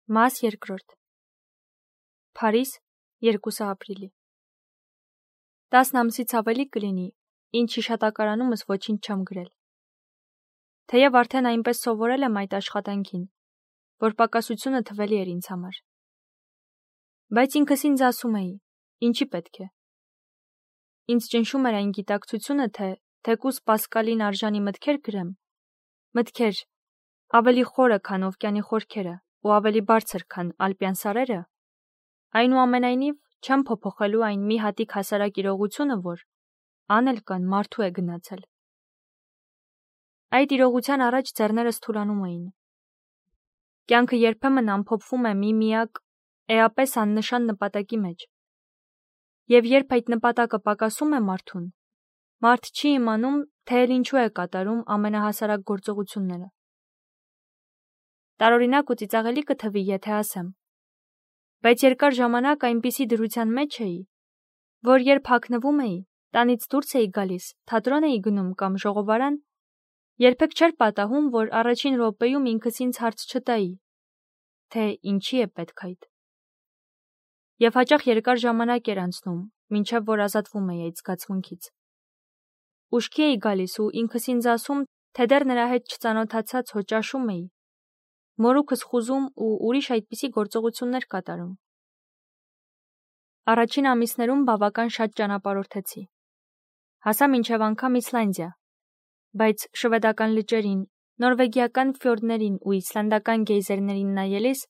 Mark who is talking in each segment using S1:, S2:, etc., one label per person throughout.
S1: Մաս երկրորդ Փարիզ 2 ապրիլի 10 ամսից ավելի կլինի, ինչ հիշատակարանումս ոչինչ չեմ գրել։ Թեև արդեն այնպես սովորել եմ այդ աշխատանքին, որ պակասությունը թվելի էր ինձ համար։ Բայց ինքս ինձ ասում էի, ինչի պետք է։ Ինձ ճնշում էր այն գիտակցությունը, թե թեկուզ Պասկալին արժանի մտքեր գրեմ, մտքեր ավելի խորը, քան օվկիանի խորքերը ու ավելի բարձր, քան ալպյան սարերը, այնուամենայնիվ չեմ փոփոխելու այն մի հատիկ հասարակ իրողությունը, որ անել կան մարդու է գնացել։ Այդ իրողության առաջ ձեռներս թուլանում էին։ Կյանքը երբեմն ամփոփվում է մի միակ, էապես աննշան նպատակի մեջ։ Եվ երբ այդ նպատակը պակասում է մարդուն, մարդ չի իմանում, թե էլ ինչու է կատարում ամենահասարակ գործողությունները։ Տարօրինակ ու ծիծաղելի կթվի, եթե ասեմ, բայց երկար ժամանակ այնպիսի դրության մեջ էի, որ երբ հագնվում էի, տանից դուրս էի գալիս, թատրոն էի գնում կամ ժողովարան, երբեք չէր պատահում, որ առաջին րոպեում ինքս ինձ հարց չտայի, թե ինչի է պետք այդ։ Եվ հաճախ երկար ժամանակ էր անցնում, մինչև որ ազատվում էի այդ զգացմունքից։ Ուշքի էի գալիս ու ինքս ինձ ասում, թե դեռ նրա հետ չծանոթացած հո ճաշում էի, մորուքս խուզում ու ուրիշ այդպիսի գործողություններ կատարում։ Առաջին ամիսներում բավական շատ ճանապարհորդեցի։ Հասա մինչև անգամ Իսլանդիա, բայց շվեդական լճերին, նորվեգիական ֆյորդերին ու իսլանդական գեյզերներին նայելիս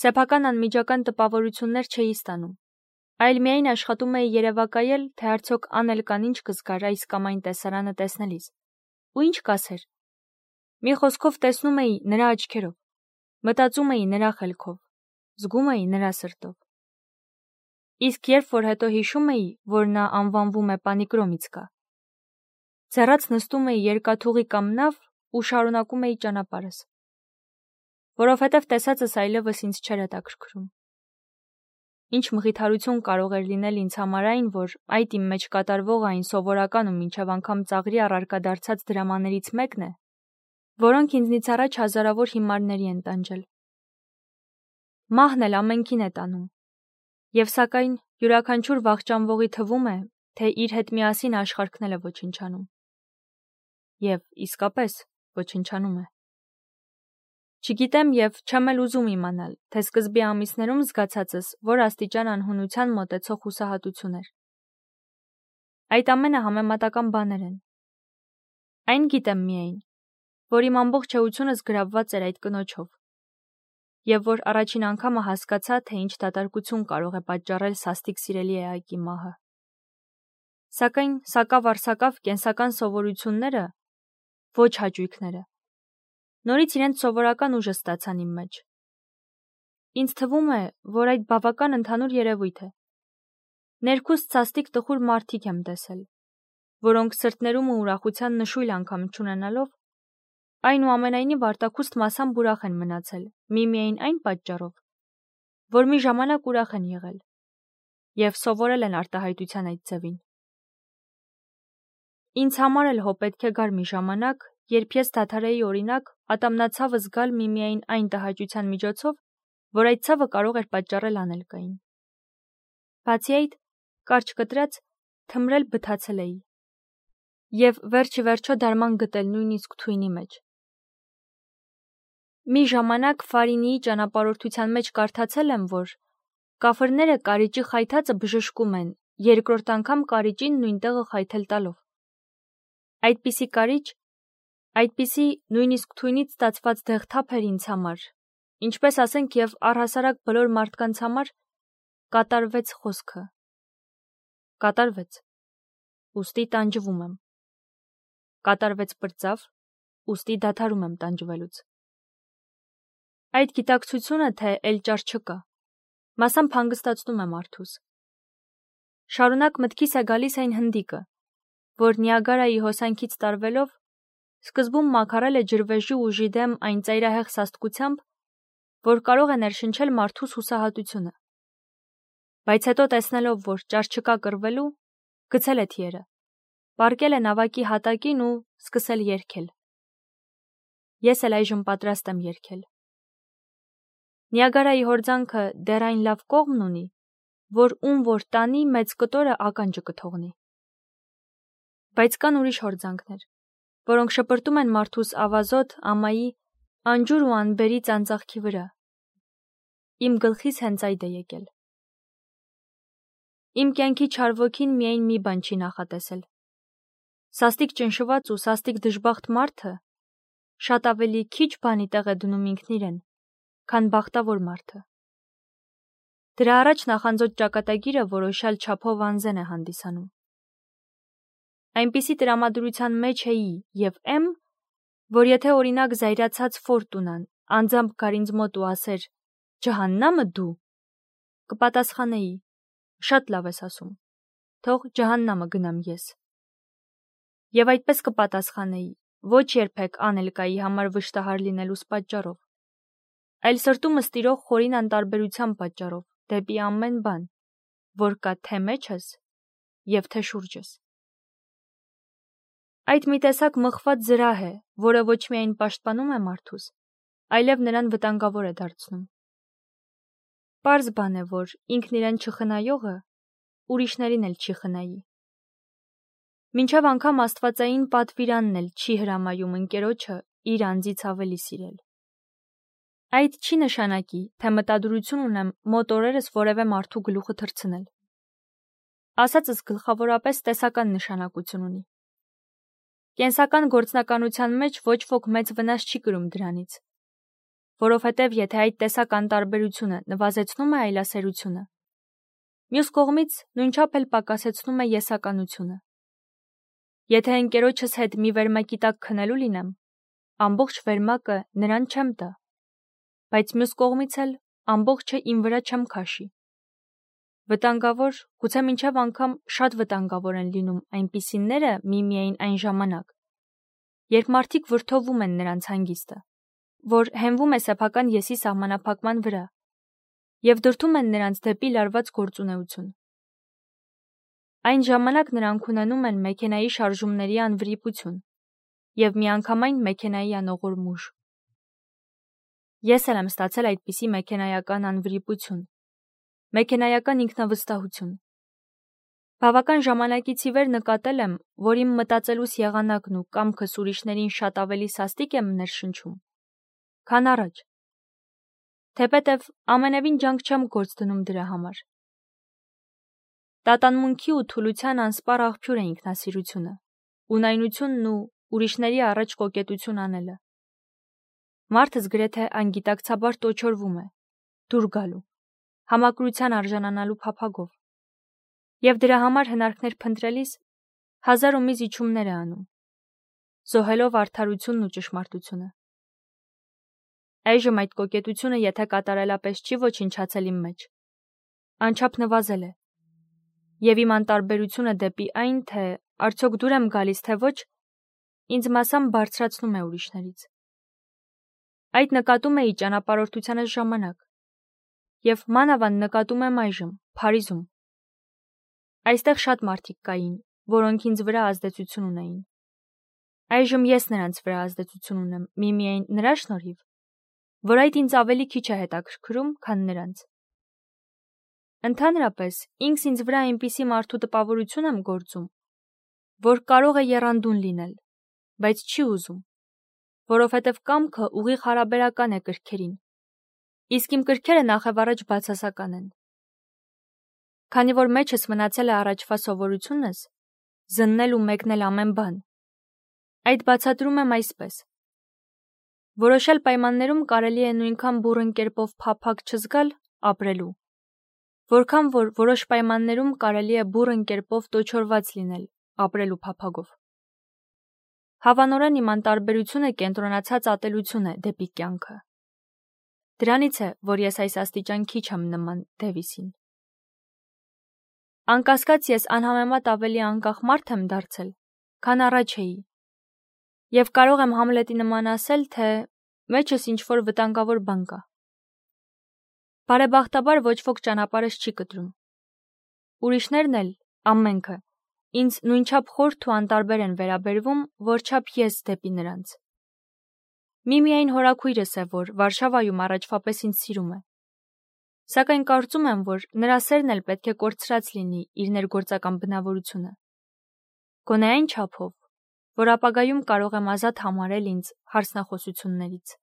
S1: սեփական անմիջական տպավորություններ չէի ստանում, այլ միայն աշխատում էի երևակայել, թե արդյոք անել կան ինչ կզգար այս կամ այն տեսարանը տեսնելիս։ Ու ինչ կասեր։ Մի խոսքով տեսնում էի նրա աչքերով, մտածում էի նրա խելքով, զգում էի նրա սրտով։ Իսկ երբ որ հետո հիշում էի, որ նա անվանվում է Պանիկրոմիցկա, ձեռած նստում էի երկաթուղի կամ նավ ու շարունակում էի ճանապարհս, որովհետև տեսածս այլևս ինձ չէր հետաքրքրում։ Ինչ մխիթարություն կարող էր լինել ինձ համար այն, որ այդ իմ մեջ կատարվողը այն սովորական ու մինչև անգամ ծաղրի առարկա դարձած դրամաներից մեկն է, որոնք ինձնից առաջ հազարավոր հիմարների են տանջել։ Մահն էլ ամենքին է տանում, եւ սակայն յուրաքանչյուր վախճանվողի թվում է, թե իր հետ միասին աշխարհքն էլ է ոչնչանում։ Եվ իսկապես ոչնչանում է։ Չգիտեմ եւ չեմ էլ ուզում իմանալ, թե սկզբի ամիսներում զգացածս որ աստիճան անհունության մոտեցող հուսահատություն էր։ Այդ ամենը համեմատական բաներ են։ Այն գիտեմ միայն, որ իմ ամբողջ էությունս գրավված էր այդ կնոջով, եւ որ առաջին անգամը հասկացա, թե ինչ դատարկություն կարող է պատճառել սաստիկ սիրելի էակի մահը։ Սակայն սակավ-առսակավ կենսական սովորությունները, ոչ հաճույքները, նորից իրենց սովորական ուժը ստացան իմ մեջ։ Ինձ թվում է, որ այդ բավական ընդհանուր երևույթ է։ Ներքուստ սաստիկ տխուր մարդիկ եմ տեսել, որոնք սրտներում ու ուրախության նշույլ անգամ չունենալով, այնուամենայնիվ արտաքուստ մասամբ ուրախ են մնացել, միմիայն այն պատճառով, որ մի ժամանակ ուրախ են եղել, եւ սովորել են արտահայտության այդ ձևին։ Ինձ համար էլ հո պետք է գար մի ժամանակ, երբ ես դադարեի օրինակ ատամնացավը զգալ միմիայն այն տհաճության միջոցով, որ այդ ցավը կարող էր պատճառել անելկային։ Բացի այդ, կարճ կտրած, թմրել բթացել էի։ Եվ վերջիվերջո դարման գտել նույնիսկ թույնի մեջ։ Մի ժամանակ Ֆարինիի ճանապարհորդության մեջ կարդացել եմ, որ կաֆրները կարիճի խայթածը բժշկում են, երկրորդ անգամ կարիճին նույն տեղը խայթել տալով։ Այդպիսի կարիճ, այդպիսի նույնիսկ թույնից ստացված դեղթափ էր ինձ համար, ինչպես ասենք եւ առհասարակ բոլոր մարդկանց համար կատարվեց խոսքը։ Կատարվեց, ուստի տանջվում եմ։ Կատարվեց պրծավ, ուստի դադարում եմ տանջվելուց։ Այդ գիտակցությունը, թե էլ ճար չկա, մասամբ հանգստացնում է մարդուս։ Շարունակ մտքիս է գալիս այն հնդիկը, որ Նիագարայի հոսանքից տարվելով սկզբում մաքարել է ջրվեժի ուժի դեմ այն ծայրահեղ սաստկությամբ, որ կարող է ներշնչել մարդուս հուսահատությունը։ Բայց հետո տեսնելով, որ ճար չկա կռվելու, գցել է թիերը, պառկել է նավակի հատակին ու սկսել երգել։ Ես էլ այժմ պատրաստ եմ երգել։ Նիագարայի հորձանքը դեռ այն լավ կողմն ունի, որ ում որ տանի մեծ կտորը ականջը կթողնի։ Բայց կան ուրիշ հորձանքներ, որոնք շպրտում են մարդուս ավազոտ, ամայի, անջուր ու անբերի ծանծաղքի վրա։ Իմ գլխից հենց այդ է եկել։ Իմ կյանքի չար ոգին միայն մի բան չի նախատեսել։ Սաստիկ ճնշված ու սաստիկ դժբախտ մարդը շատ ավելի քիչ բանի տեղ է դնում ինքն իրեն, քան բախտավոր մարդը։ Դրա առաջ նախանձոտ ճակատագիրը որոշյալ չափով անզեն է հանդիսանում։ Այնպիսի տրամադրության մեջ էի և եմ, որ եթե օրինակ զայրացած Ֆորտունան անձամբ գար ինձ մոտ ու ասեր «Ջահաննամը դու», կպատասխանեի «Շատ լավ ես ասում, թող ջահաննամը գնամ ես»։ Եվ այդպես կպատասխանեի ոչ երբեք անելկայի համար վշտահար լինելուս պատճառով, այլ սրտումս տիրող խորին անտարբերության պատճառով դեպի ամեն բան, որ կա թե մեջս և թե շուրջս։ Այդ մի տեսակ մխված զրահ է, որը ոչ միայն պաշտպանում է մարդուս, այլև նրան վտանգավոր է դարձնում։ Պարզ բան է, որ ինքն իրեն չխնայողը ուրիշներին էլ չի խնայի։ Մինչև անգամ աստվածային պատվիրանն էլ չի հրամայում ընկերոջը իր անձից ավելի սիրել։ Այդ չի նշանակի, թե մտադրություն ունեմ մոտ օրերս որևէ մարդու գլուխը թռցնել։ Ասածս գլխավորապես տեսական նշանակություն ունի։ Կենսական գործնականության մեջ ոչ ոք մեծ վնաս չի կրում դրանից, որովհետև եթե այդ տեսական տարբերությունը նվազեցնում է այլասերությունը, մյուս կողմից նույնչափ էլ պակասեցնում է եսականությունը։ Եթե ընկերոջս հետ մի վերմակի տակ քնելու լինեմ, ամբողջ վերմակը նրան չեմ տա, բայց մյուս կողմից էլ ամբողջը իմ վրա չեմ քաշի։ Վտանգավոր, գուցե մինչև անգամ շատ վտանգավոր են լինում այնպիսիները միմիայն այն ժամանակ, երբ մարդիկ վրդովում են նրանց հանգիստը, որ հենվում է սեփական եսի սահմանափակման վրա, և դրդում են նրանց դեպի լարված գործունեություն։ Այն ժամանակ նրանք ունենում են մեքենայի շարժումների անվրիպություն և միանգամայն մեքենայի անողորմ ուժ։ Ես էլ եմ ստացել այդպիսի մեքենայական անվրիպություն, մեքենայական ինքնավստահություն։ Բավական ժամանակից ի վեր նկատել եմ, որ իմ մտածելուս եղանակն ու կամքս ուրիշներին շատ ավելի սաստիկ եմ ներշնչում, քան առաջ, թեպետև ամենևին ջանք չեմ գործ դնում դրա համար։ Տատանմունքի ու թուլության անսպառ աղբյուր է ինքնասիրությունը, ունայնությունն ու ուրիշների առաջ կոկետություն անելը։ Մարդս գրեթե անգիտակցաբար տոչորվում է, դուր գալու, համակրության արժանանալու փափագով, և դրա համար հնարքներ փնտրելիս հազար ու մի զիջումներ է անում, զոհելով արդարությունն ու ճշմարտությունը։ Այժմ այդ կոկետությունը եթե կատարելապես չի ոչնչացել իմ մեջ, անչափ նվազել է, և իմ անտարբերությունը դեպի այն, թե արդյոք դուր եմ գալիս, թե ոչ, ինձ մասամբ բարձրացնում է ուրիշներից։ Այդ նկատում էի ճանապարհորդությանս ժամանակ, և մանավանդ նկատում եմ այժմ, Փարիզում։ Այստեղ շատ մարդիկ կային, որոնք ինձ վրա ազդեցություն ունեին։ Այժմ ես նրանց վրա ազդեցություն ունեմ միմիայն նրա շնորհիվ, որ այդ ինձ ավելի քիչ է հետաքրքրում, քան նրանց։ Ընդհանրապես, ինքս ինձ վրա այնպիսի մարդու տպավորություն եմ գործում, որ կարող է եռանդուն լինել, բայց չի ուզում, որովհետև կամքը ուղիղ հարաբերական է կրքերին, իսկ իմ կրքերը նախևառաջ բացասական են։ Քանի որ մեջս մնացել է առաջվա սովորությունս, զննել ու մեկնել ամեն բան, այդ բացատրում եմ այսպես. որոշյալ պայմաններում կարելի է նույնքան բուռն կերպով փափագ չզգալ ապրելու, որքան որ որոշ պայմաններում կարելի է բուռն կերպով տոչորված լինել ապրելու փափագով։ Հավանորեն իմ անտարբերությունը կենտրոնացած ատելություն է դեպի կյանքը։ Դրանից է, որ ես այս աստիճան քիչ եմ նման Դևիսին։ Անկասկած ես անհամեմատ ավելի անկախ մարդ եմ դարձել, քան առաջ էի, և կարող եմ Համլետի նման ասել, թե մեջս ինչ-որ վտանգավոր բան կա։ Բարեբախտաբար ոչ ոք ճանապարհս չի կտրում։ Ուրիշներն էլ, ամենքը, ինձ նույնչափ խորթ ու անտարբեր են վերաբերվում, որչափ ես դեպի նրանց։ Միայն հորաքույրս է, որ Վարշավայում առաջվա պես ինձ սիրում է։ Սակայն կարծում եմ, որ նրա սերն էլ պետք է կորցրած լինի իր ներգործական բնավորությունը։ Գոնե այն չափով, որ ապագայում կարող եմ ազատ համարել ինձ հարցնախոսություններից։